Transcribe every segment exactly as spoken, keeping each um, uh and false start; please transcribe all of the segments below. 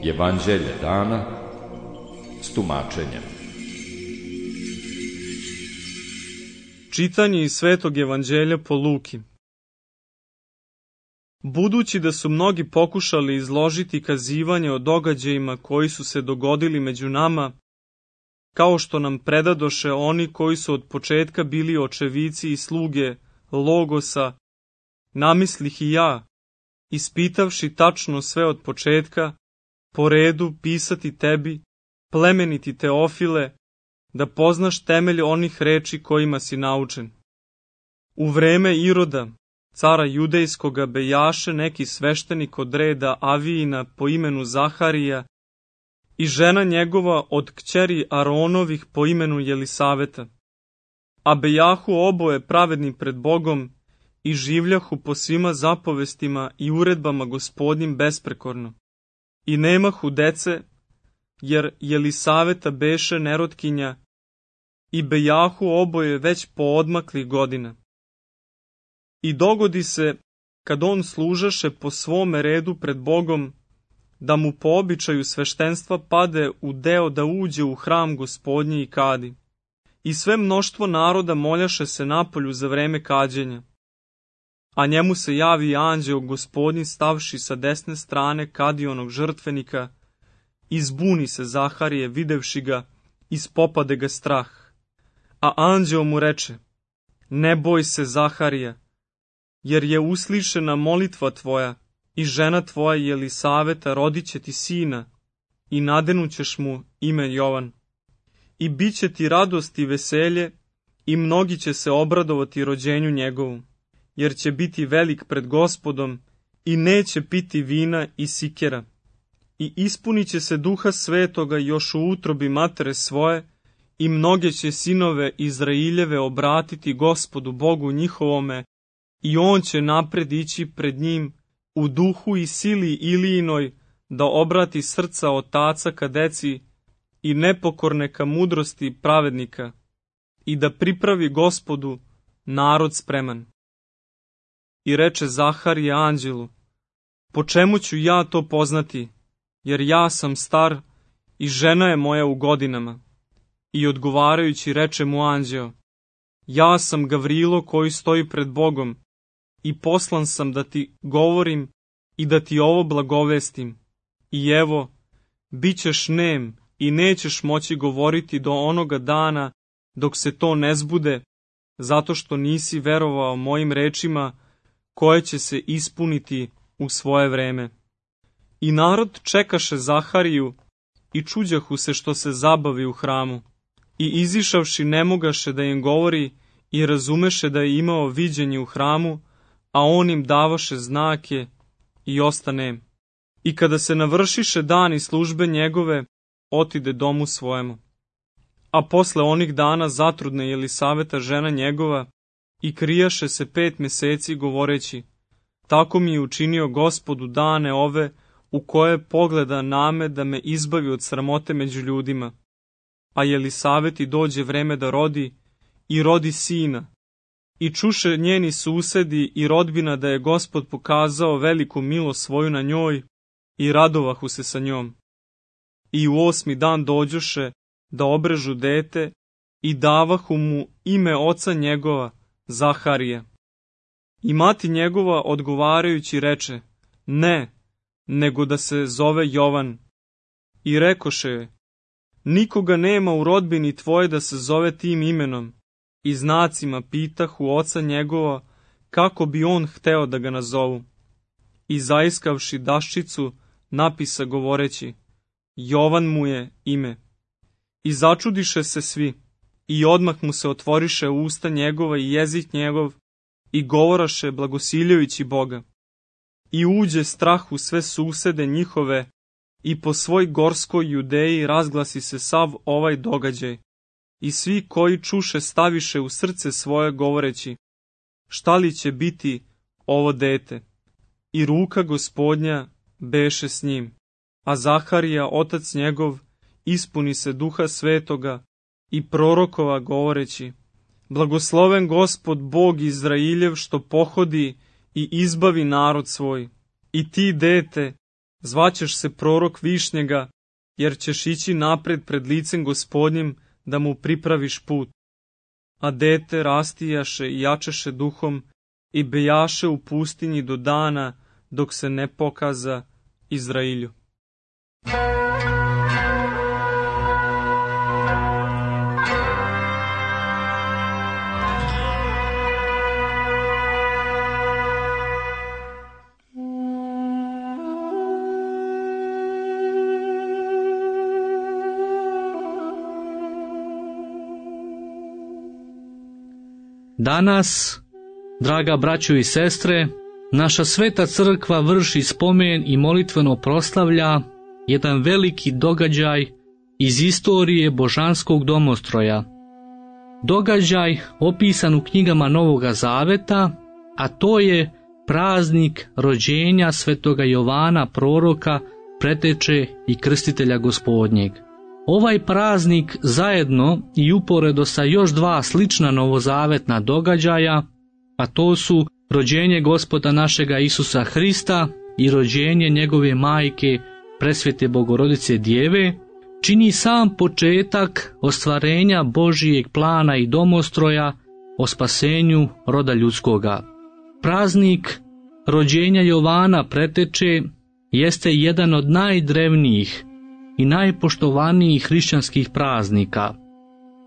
Evanđelje dana s tumačenjem. Čitanje iz Svetog evanđelja po Luki. Budući da su mnogi pokušali izložiti kazivanje o događajima koji su se dogodili među nama, kao što nam predadoše oni koji su od početka bili očevici i sluge Logosa, namislih i ja, ispitavši tačno sve od početka, po redu pisati tebi, plemeniti Teofile, da poznaš temelj onih reči kojima si naučen. U vreme Iroda, cara judejskoga, bejaše neki sveštenik od reda Avijina po imenu Zaharija i žena njegova od kćeri Aronovih po imenu Jelisaveta. A bejahu oboje pravedni pred Bogom i življahu po svima zapovestima i uredbama Gospodnjim besprekorno. I nemahu dece, jer Jelisaveta beše nerotkinja i bejahu oboje već po odmaklih godina. I dogodi se, kad on služaše po svome redu pred Bogom, da mu po običaju sveštenstva pade u deo da uđe u hram Gospodnji i kadi. I sve mnoštvo naroda moljaše se napolju za vreme kađenja. A njemu se javi anđeo Gospodnji stavši sa desne strane kadionog žrtvenika, i zbuni se Zaharije videvši ga, ispopade ga strah. A anđeo mu reče: ne boj se, Zaharija, jer je uslišena molitva tvoja i žena tvoja Jelisaveta rodit će ti sina i nadenućeš mu ime Jovan. I bit će ti radost i veselje i mnogi će se obradovati rođenju njegovu, jer će biti velik pred Gospodom i neće piti vina i sikera. I ispunit će se Duha Svetoga još u utrobi matere svoje i mnoge će sinove Izraeljeve obratiti Gospodu Bogu njihovome i on će napred ići pred njim u duhu i sili Ilijinoj da obrati srca otaca ka deci i nepokorne ka mudrosti pravednika i da pripravi Gospodu narod spreman. I reče Zaharija anđelu: po čemu ću ja to poznati, jer ja sam star i žena je moja u godinama. I odgovarajući reče mu anđeo: ja sam Gavrilo koji stoji pred Bogom i poslan sam da ti govorim i da ti ovo blagovestim. I evo, bit ćeš nem i nećeš moći govoriti do onoga dana dok se to ne zbude, zato što nisi verovao mojim rečima koje će se ispuniti u svoje vreme. I narod čekaše Zahariju i čuđahu se što se zabavi u hramu. I izišavši ne mogaše da im govori i razumeše da je imao viđenje u hramu, a on im davaše znake i ostane. I kada se navršiše dani službe njegove, otide domu svojemu. A posle onih dana zatrudne Jelisaveta žena njegova i krijaše se pet meseci govoreći: tako mi je učinio Gospod u dane ove u koje pogleda name da me izbavi od sramote među ljudima. A Jelisaveti dođe vreme da rodi i rodi sina. I čuše njeni susedi i rodbina da je Gospod pokazao veliku milost svoju na njoj i radovahu se sa njom. I u osmi dan dođoše da obrežu dete i davahu mu ime oca njegova, Zaharija. I mati njegova odgovarajući reče: ne, nego da se zove Jovan. I rekoše joj: nikoga nema u rodbini tvoje da se zove tim imenom. I znacima pitahu oca njegova kako bi on hteo da ga nazovu. I zaiskavši daščicu napisa govoreći: Jovan mu je ime. I začudiše se svi, i odmah mu se otvoriše usta njegova i jezik njegov, i govoraše blagosiljajući Boga. I uđe strah u sve susede njihove, i po svoj gorskoj Judeji razglasi se sav ovaj događaj. I svi koji čuše staviše u srce svoje govoreći: šta li će biti ovo dete? I ruka Gospodnja beše s njim. A Zaharija, otac njegov, ispuni se Duha Svetoga i prorokova govoreći: Blagosloven Gospod Bog Izrailjev, što pohodi i izbavi narod svoj. I ti, dete, zvaćeš se prorok Višnjega, jer ćeš ići napred pred licem Gospodnjim da mu pripraviš put. A dete rastijaše i jačeše duhom i bejaše u pustinji do dana dok se ne pokaza Izrailju. Danas, draga braćo i sestre, naša sveta crkva vrši spomen i molitveno proslavlja jedan veliki događaj iz istorije božanskog domostroja. Događaj opisan u knjigama Novoga Zaveta, a to je praznik rođenja svetoga Jovana proroka, preteče i krstitelja Gospodnjeg. Ovaj praznik zajedno i uporedo sa još dva slična novozavetna događaja, a to su rođenje Gospoda našega Isusa Hrista i rođenje njegove majke Presvete Bogorodice Djeve, čini sam početak ostvarenja Božijeg plana i domostroja o spasenju roda ljudskoga. Praznik rođenja Jovana preteče jeste jedan od najdrevnijih i najpoštovanijih hrišćanskih praznika.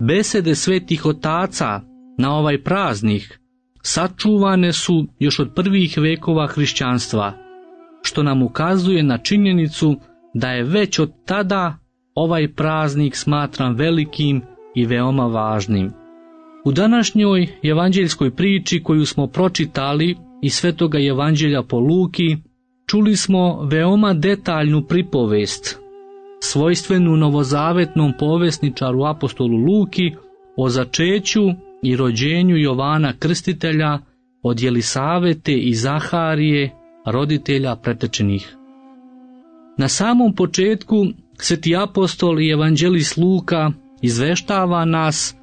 Besede svetih otaca na ovaj praznik sačuvane su još od prvih vekova hrišćanstva, što nam ukazuje na činjenicu da je već od tada ovaj praznik smatran velikim i veoma važnim. U današnjoj evanđeljskoj priči koju smo pročitali iz Svetoga Evanđelja po Luki, čuli smo veoma detaljnu pripovest, svojstvenu novozavetnom povesničaru apostolu Luki, o začeću i rođenju Jovana Krstitelja od Jelisavete i Zaharije, roditelja pretečenih. Na samom početku sveti apostol i evanđelist Luka izveštava nas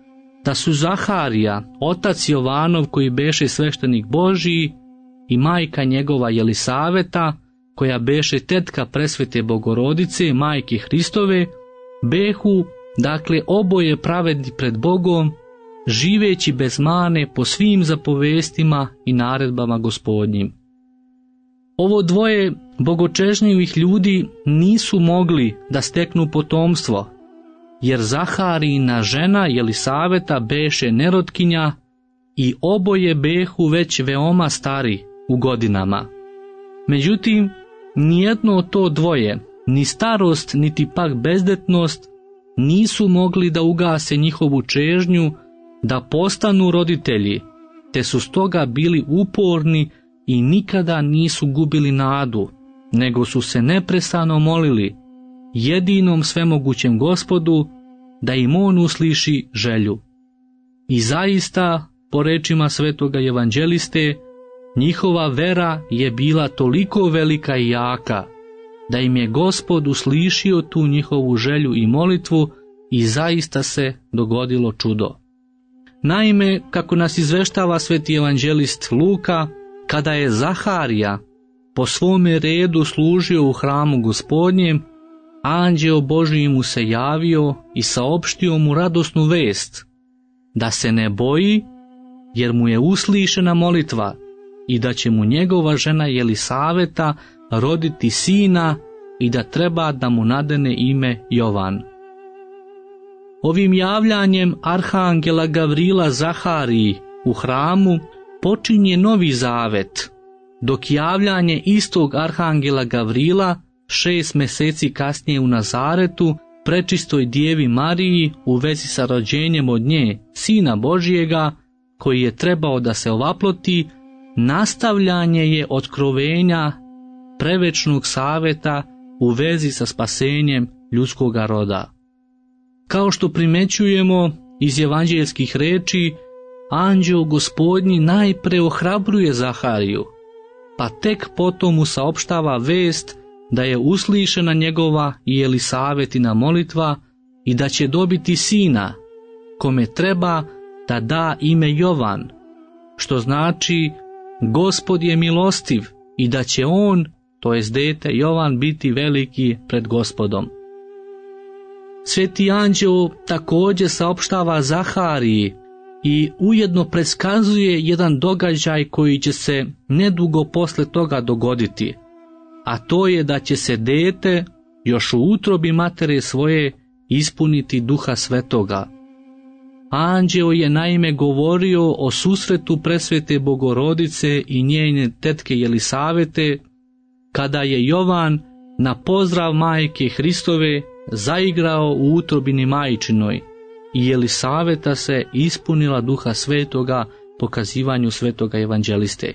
da su Zaharija, otac Jovanov koji beše sveštenik Božiji, i majka njegova Jelisaveta, koja beše tetka Presvete Bogorodice, majke Hristove, behu, dakle oboje pravedni pred Bogom, živeći bez mane po svim zapovestima i naredbama Gospodnjim. Ovo dvoje bogočežnjivih ljudi nisu mogli da steknu potomstvo, jer Zaharijina žena Jelisaveta beše nerotkinja i oboje behu već veoma stari u godinama. Međutim, nijedno od to dvoje, ni starost niti pak bezdetnost, nisu mogli da ugase njihovu čežnju da postanu roditelji, te su stoga bili uporni i nikada nisu gubili nadu, nego su se neprestano molili jedinom svemogućem Gospodu da im on usliši želju. I zaista, po rečima svetoga evanđeliste, njihova vera je bila toliko velika i jaka, da im je Gospod uslišio tu njihovu želju i molitvu i zaista se dogodilo čudo. Naime, kako nas izveštava sveti evanđelist Luka, kada je Zaharija po svome redu služio u hramu Gospodnjem, anđeo Božji mu se javio i saopštio mu radosnu vest, da se ne boji, jer mu je uslišena molitva i da će mu njegova žena Jelisaveta roditi sina i da treba da mu nadene ime Jovan. Ovim javljanjem arhangela Gavrila Zahariji u hramu počinje novi zavet, dok javljanje istog arhangela Gavrila šest meseci kasnije u Nazaretu prečistoj djevi Mariji u vezi sa rođenjem od nje, Sina Božijega, koji je trebao da se ovaploti, nastavljanje je otkrovenja prevečnog saveta u vezi sa spasenjem ljudskoga roda. Kao što primećujemo iz evanđeljskih reči, anđeo Gospodnji najpre ohrabruje Zahariju, pa tek potom mu saopštava vest da je uslišena njegova i Jelisavetina molitva i da će dobiti sina, kome treba da da ime Jovan, što znači Gospod je milostiv i da će on, to jest dete Jovan, biti veliki pred Gospodom. Sveti anđeo također saopštava Zahariji i ujedno predskazuje jedan događaj koji će se nedugo posle toga dogoditi, a to je da će se dete još u utrobi matere svoje ispuniti Duha Svetoga. Anđeo je naime govorio o susretu presvete Bogorodice i njene tetke Jelisavete, kada je Jovan na pozdrav majke Hristove zaigrao u utrobini majčinoj i Jelisaveta se ispunila Duha Svetoga po kazivanju svetoga evanđeliste.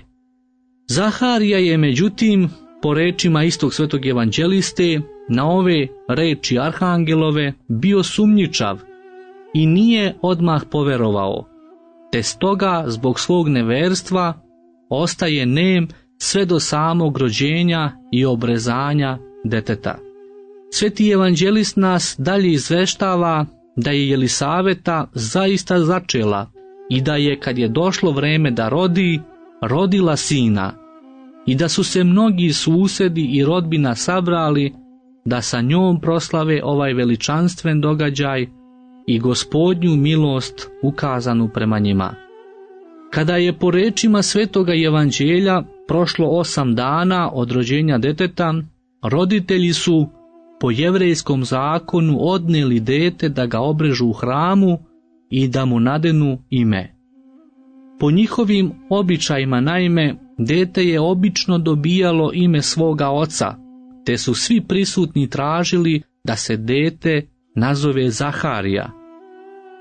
Zaharija je međutim, po rečima istog svetog evanđeliste, na ove reči arhangelove bio sumnjičav i nije odmah poverovao, te stoga zbog svog neverstva ostaje nem sve do samog rođenja i obrezanja deteta. Sveti evanđelist nas dalje izveštava da je Jelisaveta zaista začela i da je, kad je došlo vreme da rodi, rodila sina i da su se mnogi susedi i rodbina sabrali da sa njom proslave ovaj veličanstven događaj i Gospodnju milost ukazanu prema njima. Kada je po rečima svetoga evanđelja prošlo osam dana od rođenja deteta, roditelji su po jevrejskom zakonu odneli dete da ga obrežu u hramu i da mu nadenu ime. Po njihovim običajima naime, dete je obično dobijalo ime svoga oca, te su svi prisutni tražili da se dete nazove Zaharija.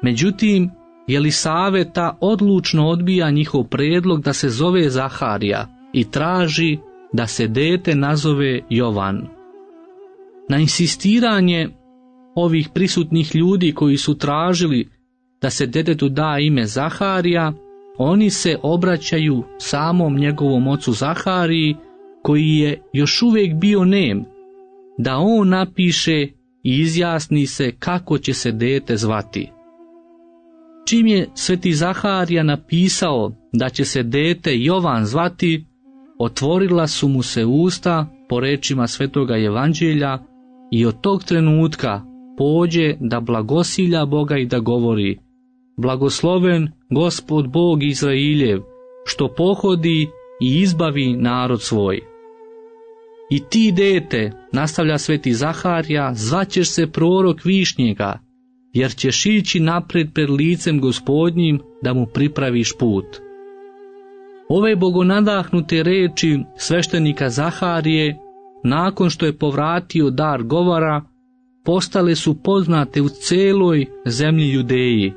Međutim, Jelisaveta odlučno odbija njihov predlog da se zove Zaharija i traži da se dete nazove Jovan. Na insistiranje ovih prisutnih ljudi koji su tražili da se detetu da ime Zaharija, oni se obraćaju samom njegovom ocu Zahariji, koji je još uvijek bio nem, da on napiše i izjasni se kako će se dete zvati. Čim je sveti Zaharija napisao da će se dete Jovan zvati, otvorila su mu se usta po rečima svetoga evanđelja i od tog trenutka pođe da blagosilja Boga i da govori: blagosloven Gospod Bog Izrailjev, što pohodi i izbavi narod svoj. I ti, dete, nastavlja sveti Zaharija, zvaćeš se prorok Višnjega, jer ćeš ići napred pred licem Gospodnjim da mu pripraviš put. Ove bogonadahnute reči sveštenika Zaharije, nakon što je povratio dar govora, postale su poznate u celoj zemlji Judeji,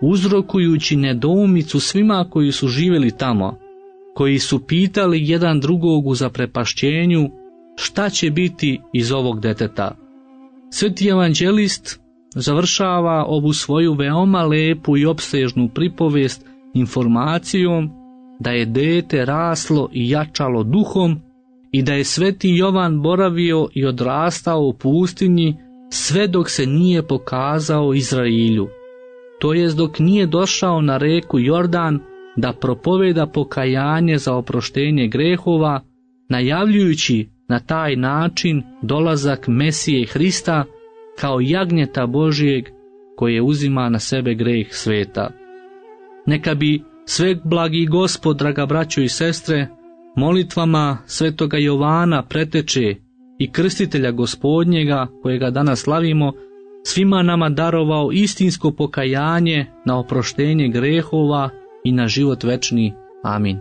uzrokujući nedoumicu svima koji su živjeli tamo, koji su pitali jedan drugog u zaprepašćenju šta će biti iz ovog deteta. Sveti evanđelist završava ovu svoju veoma lepu i opsežnu pripovest informacijom da je dete raslo i jačalo duhom i da je sveti Jovan boravio i odrastao u pustinji sve dok se nije pokazao Izrailju, to jest dok nije došao na reku Jordan da propoveda pokajanje za oproštenje grehova, najavljujući na taj način dolazak Mesije Hrista kao jagnjeta Božijeg koje uzima na sebe greh sveta. Neka bi sveblagi Gospod, draga braćo i sestre, molitvama svetoga Jovana preteče i krstitelja Gospodnjega, kojega danas slavimo, svima nama darovao istinsko pokajanje na oproštenje grehova i na život večni. Amin.